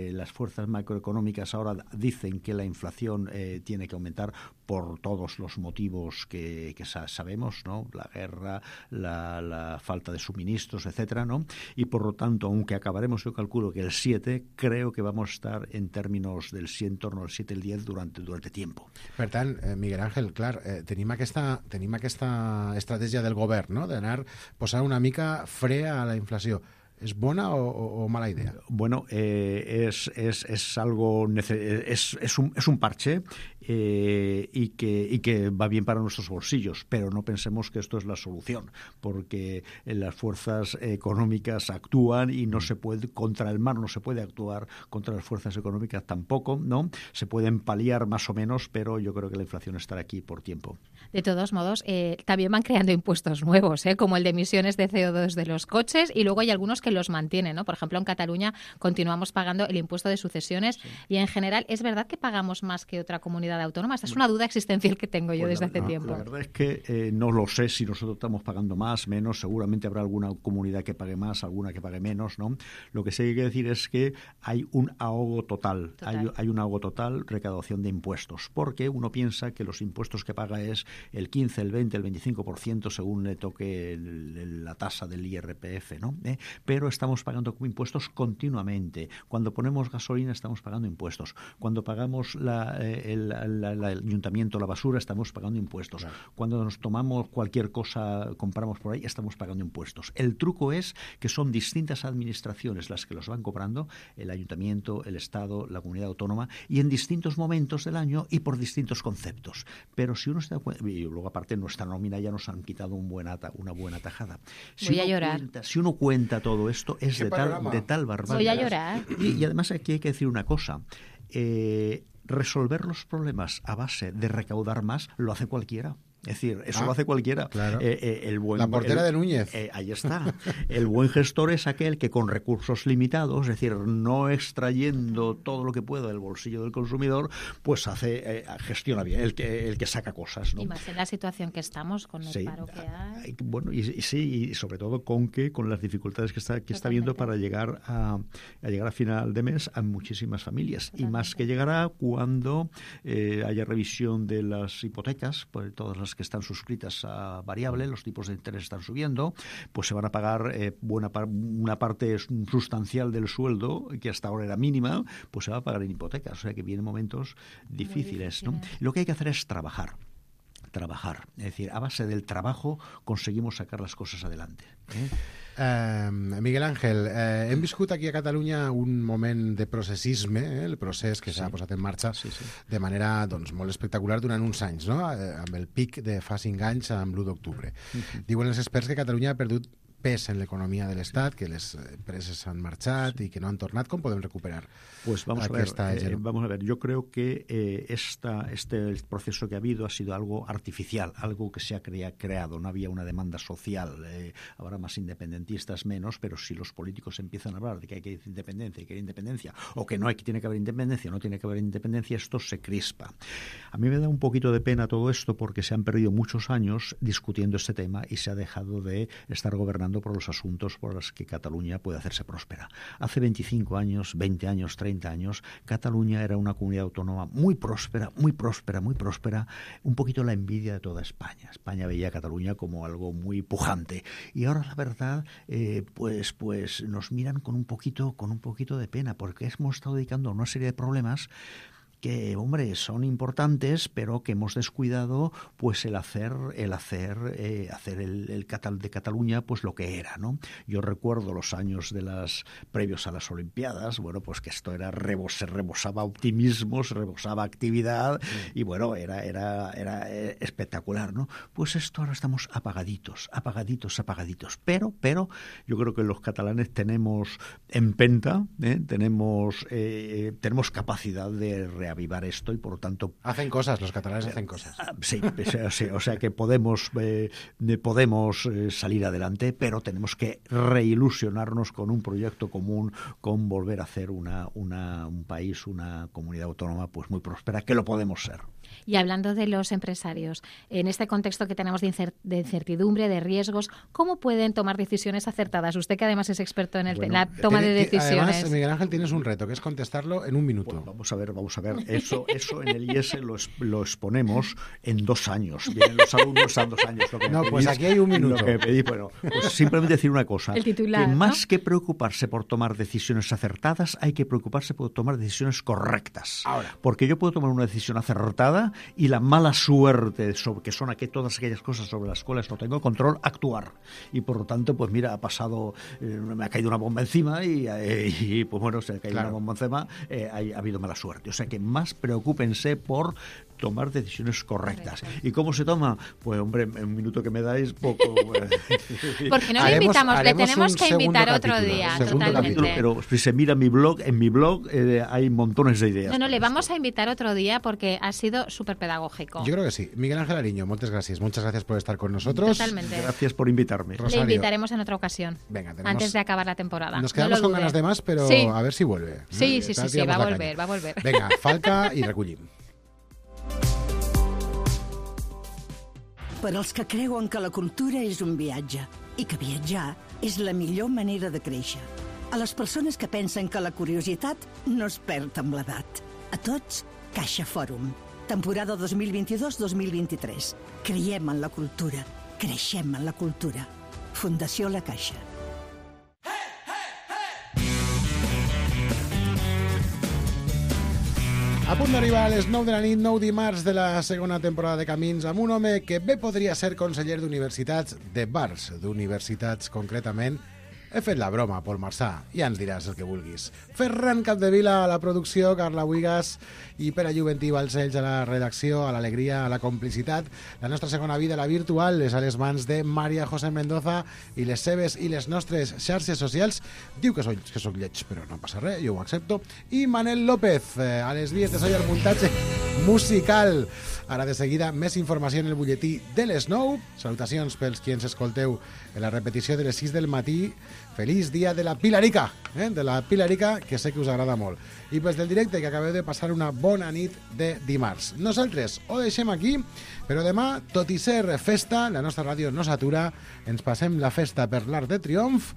eh, las fuerzas macroeconómicas ahora dicen que la inflación eh, tiene que aumentar por todos los motivos que, que sa- sabemos, ¿no? La guerra, la, la falta de suministros, etcétera, ¿no? Y por lo tanto, aunque acabaremos, yo calculo que el siete, creo que vamos a estar en términos del siete, en torno al siete, el diez durante, durante tiempo. Per tant, eh, Miguel Ángel, clar, eh, tenim, aquesta, tenim aquesta estratègia del govern, no?, d'anar posant una mica fre a la inflació. ¿Es bona o, o, o mala idea? Bueno, eh, es, es, es algo, nece- es, es, un, es un parche eh, y, que, y que va bien para nuestros bolsillos, pero no pensemos que esto es la solución, porque las fuerzas económicas actúan y no se puede, contra el mar no se puede actuar, contra las fuerzas económicas tampoco, ¿no? Se pueden paliar más o menos, pero yo creo que la inflación estará aquí por tiempo. De todos modos, eh, también van creando impuestos nuevos, ¿eh? Como el de emisiones de C O dos de los coches, y luego hay algunos que los mantienen, ¿no? Por ejemplo, en Cataluña continuamos pagando el impuesto de sucesiones, sí. Y en general, ¿es verdad que pagamos más que otra comunidad autónoma? Esta es una duda existencial que tengo yo Pues desde la, hace no, tiempo. La verdad es que eh, no lo sé si nosotros estamos pagando más, menos, seguramente habrá alguna comunidad que pague más, alguna que pague menos, ¿no? Lo que sí hay que decir es que hay un ahogo total, total. Hay, hay un ahogo total, recaudación de impuestos, porque uno piensa que los impuestos que paga es el quince, el veinte, el veinticinco por ciento según le toque el, el, la tasa del I R P F, ¿no? ¿Eh? Pero estamos pagando impuestos continuamente. Cuando ponemos gasolina estamos pagando impuestos. Cuando pagamos la, el, la, la, el ayuntamiento, la basura, estamos pagando impuestos. Claro. Cuando nos tomamos cualquier cosa, compramos por ahí, estamos pagando impuestos. El truco es que son distintas administraciones las que los van cobrando, el ayuntamiento, el Estado, la comunidad autónoma, y en distintos momentos del año y por distintos conceptos. Pero si uno se da cuenta, y luego aparte nuestra nómina ya nos han quitado un buen ata, una buena tajada. Si Voy uno a llorar. Cuenta, si uno cuenta todo esto, es de tal, de tal barbaridad. Voy a llorar. Y, y además aquí hay que decir una cosa. Eh, resolver los problemas a base de recaudar más lo hace cualquiera. Es decir, eso ah, lo hace cualquiera. Claro. Eh, eh, el buen, la portera el, de Núñez. Eh, ahí está. El buen gestor es aquel que con recursos limitados, es decir, no extrayendo todo lo que pueda del bolsillo del consumidor, pues hace eh, gestiona bien, el que, el que saca cosas, ¿no? Y más en la situación que estamos, con el sí. paro que hay. Bueno, y, y sí, y sobre todo con que con las dificultades que está, que está viendo para llegar a, a llegar a final de mes a muchísimas familias. Totalmente. Y más que llegará cuando eh, haya revisión de las hipotecas, por todas las que están suscritas a variable, los tipos de interés están subiendo, pues se van a pagar eh, buena par una parte sustancial del sueldo, que hasta ahora era mínima, pues se va a pagar en hipotecas. O sea que vienen momentos difíciles, ¿no? Lo que hay que hacer es trabajar. trabajar. Es decir, a base del trabajo conseguimos sacar les coses adelante. Eh? Uh, Miguel Ángel, uh, hem viscut aquí a Catalunya un moment de processisme, eh? el procés que s'ha sí. posat en marxa sí, sí. de manera doncs, molt espectacular durant uns anys, no? Uh, amb el pic de fa cinc anys amb l'u d'octubre. Uh-huh. Diuen els experts que Catalunya ha perdut pes en l'economia de l'Estat, que les empreses han marxat sí. y que no han tornat. ¿Cómo podemos recuperar? Pues vamos a ver, eh, vamos a ver. Yo creo que eh, esta, este proceso que ha habido ha sido algo artificial, algo que se ha crea, creado. No había una demanda social. Eh, habrá más independentistas, menos, pero si los políticos empiezan a hablar de que hay que ir independencia, hay que ir independencia, o que no hay que tiene que haber independencia, no tiene que haber independencia, esto se crispa. A mí me da un poquito de pena todo esto porque se han perdido muchos años discutiendo este tema y se ha dejado de estar gobernando por los asuntos por los que Cataluña puede hacerse próspera. Hace veinticinco años, veinte años, treinta años, Cataluña era una comunidad autónoma muy próspera, muy próspera, muy próspera, un poquito la envidia de toda España. España veía a Cataluña como algo muy pujante. Y ahora, la verdad, eh, pues, pues nos miran con un poquito, con un poquito de pena, porque hemos estado dedicando a una serie de problemas que, hombre, son importantes, pero que hemos descuidado pues el hacer el hacer eh, hacer el, el Catal de Cataluña pues lo que era, ¿no? Yo recuerdo los años de las previos a las Olimpiadas, bueno, pues que esto era rebos, se rebosaba optimismo, se rebosaba actividad y bueno, era era era espectacular, ¿no? Pues esto ahora estamos apagaditos, apagaditos, apagaditos, pero pero yo creo que los catalanes tenemos empenta, ¿eh? tenemos eh, tenemos capacidad de reavivar avivar esto y por lo tanto hacen cosas, los catalanes hacen cosas. Sí, sí, o sea que podemos eh, podemos eh, salir adelante, pero tenemos que reilusionarnos con un proyecto común, con volver a hacer una, una un país, una comunidad autónoma pues muy próspera, que lo podemos ser. Y hablando de los empresarios, en este contexto que tenemos de, incer- de incertidumbre, de riesgos, ¿cómo pueden tomar decisiones acertadas? Usted que además es experto en el bueno, la toma tiene, de decisiones. Además, Miguel Ángel, tienes un reto, que es contestarlo en un minuto. Bueno, vamos a ver, vamos a ver. Eso, eso en el I E S lo, lo exponemos en dos años. Vienen los alumnos a dos años. Lo que no, pedís, pues aquí hay un minuto. Lo que pedís, bueno, pues simplemente decir una cosa. El titular, que ¿no? Más que preocuparse por tomar decisiones acertadas, hay que preocuparse por tomar decisiones correctas. Ahora. Porque yo puedo tomar una decisión acertada y la mala suerte, sobre, que son aquí todas aquellas cosas sobre las cuales no tengo control, actuar. Y por lo tanto, pues mira, ha pasado, eh, me ha caído una bomba encima y, eh, y pues bueno, se ha caído claro. una bomba encima, eh, ha, ha habido mala suerte. O sea que más preocúpense por tomar decisiones correctas. Correcto. ¿Y cómo se toma? Pues hombre, en un minuto que me dais, poco... Porque no le invitamos, le tenemos que invitar otro día, totalmente. Capítulo, pero si se mira mi blog, en mi blog eh, hay montones de ideas. No, no, le vamos a invitar otro día porque ha sido súper pedagógico. Yo creo que sí. Miguel Ángel Ariño, muchas gracias. Muchas gracias por estar con nosotros. Totalmente. Gracias por invitarme. Rosario. Le invitaremos en otra ocasión. Venga, tenemos... Antes de acabar la temporada. Nos quedamos no con ganas de más, pero sí. a ver si vuelve. Sí, ¿no? sí, sí, sí, va a volver, va a volver. Venga, Falca i recollim. Per als que creuen que la cultura és un viatge i que viatjar és la millor manera de créixer. A les persones que pensen que la curiositat no es perd amb l'edat. A tots, Caixa Fòrum. Temporada dos mil vint-i-dos dos mil vint-i-tres. Creiem en la cultura. Creixem en la cultura. Fundació La Caixa. A punt d'arribar a les nou de la nit, nou dimarts de la segona temporada de Camins, amb un home que bé podria ser conseller d'universitats, de bars d'universitats concretament. He fet la broma, Pol Marçà, ja ens diràs el que vulguis. Ferran Capdevila a la producció, Carla Buigas i Pere Juventí Balcells a la redacció, a l'alegria, a la complicitat. La nostra segona vida, la virtual, és a les mans de Maria José Mendoza i les seves i les nostres xarxes socials. Diu que soc, que soc lleig, però no passa res, jo ho accepto. I Manel López, eh, a les vies de so i el muntatge musical. Ara de seguida, més informació en el butlletí de les nou. Salutacions pels qui ens escolteu en la repetició de les sis del matí. Feliç dia de la Pilarica, eh? de la Pilarica, que sé que us agrada molt. I pels del directe, que acabeu de passar una bona nit de dimarts. Nosaltres ho deixem aquí, però demà, tot i ser festa, la nostra ràdio no s'atura, ens passem la festa per l'Arc de Triomf.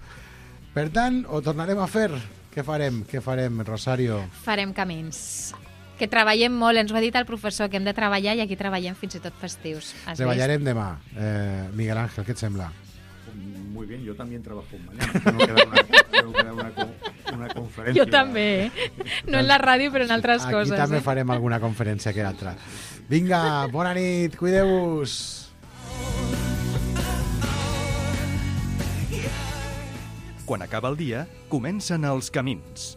Per tant, ho tornarem a fer. Què farem? Què farem, Rosario? Farem camins. Que treballem molt, ens ho ha dit el professor, que hem de treballar i aquí treballem fins i tot festius. Has Treballarem vist? demà. Eh, Miguel Ángel, què et sembla? Muy bien, yo también trabajo mañana. Tengo que dar una, tengo que dar una, una conferència. Jo també, eh? No en la ràdio, però en altres Aquí coses. Aquí també eh? farem alguna conferència que altra. Vinga, bona nit, cuideu-vos. Quan acaba el dia, comencen els camins.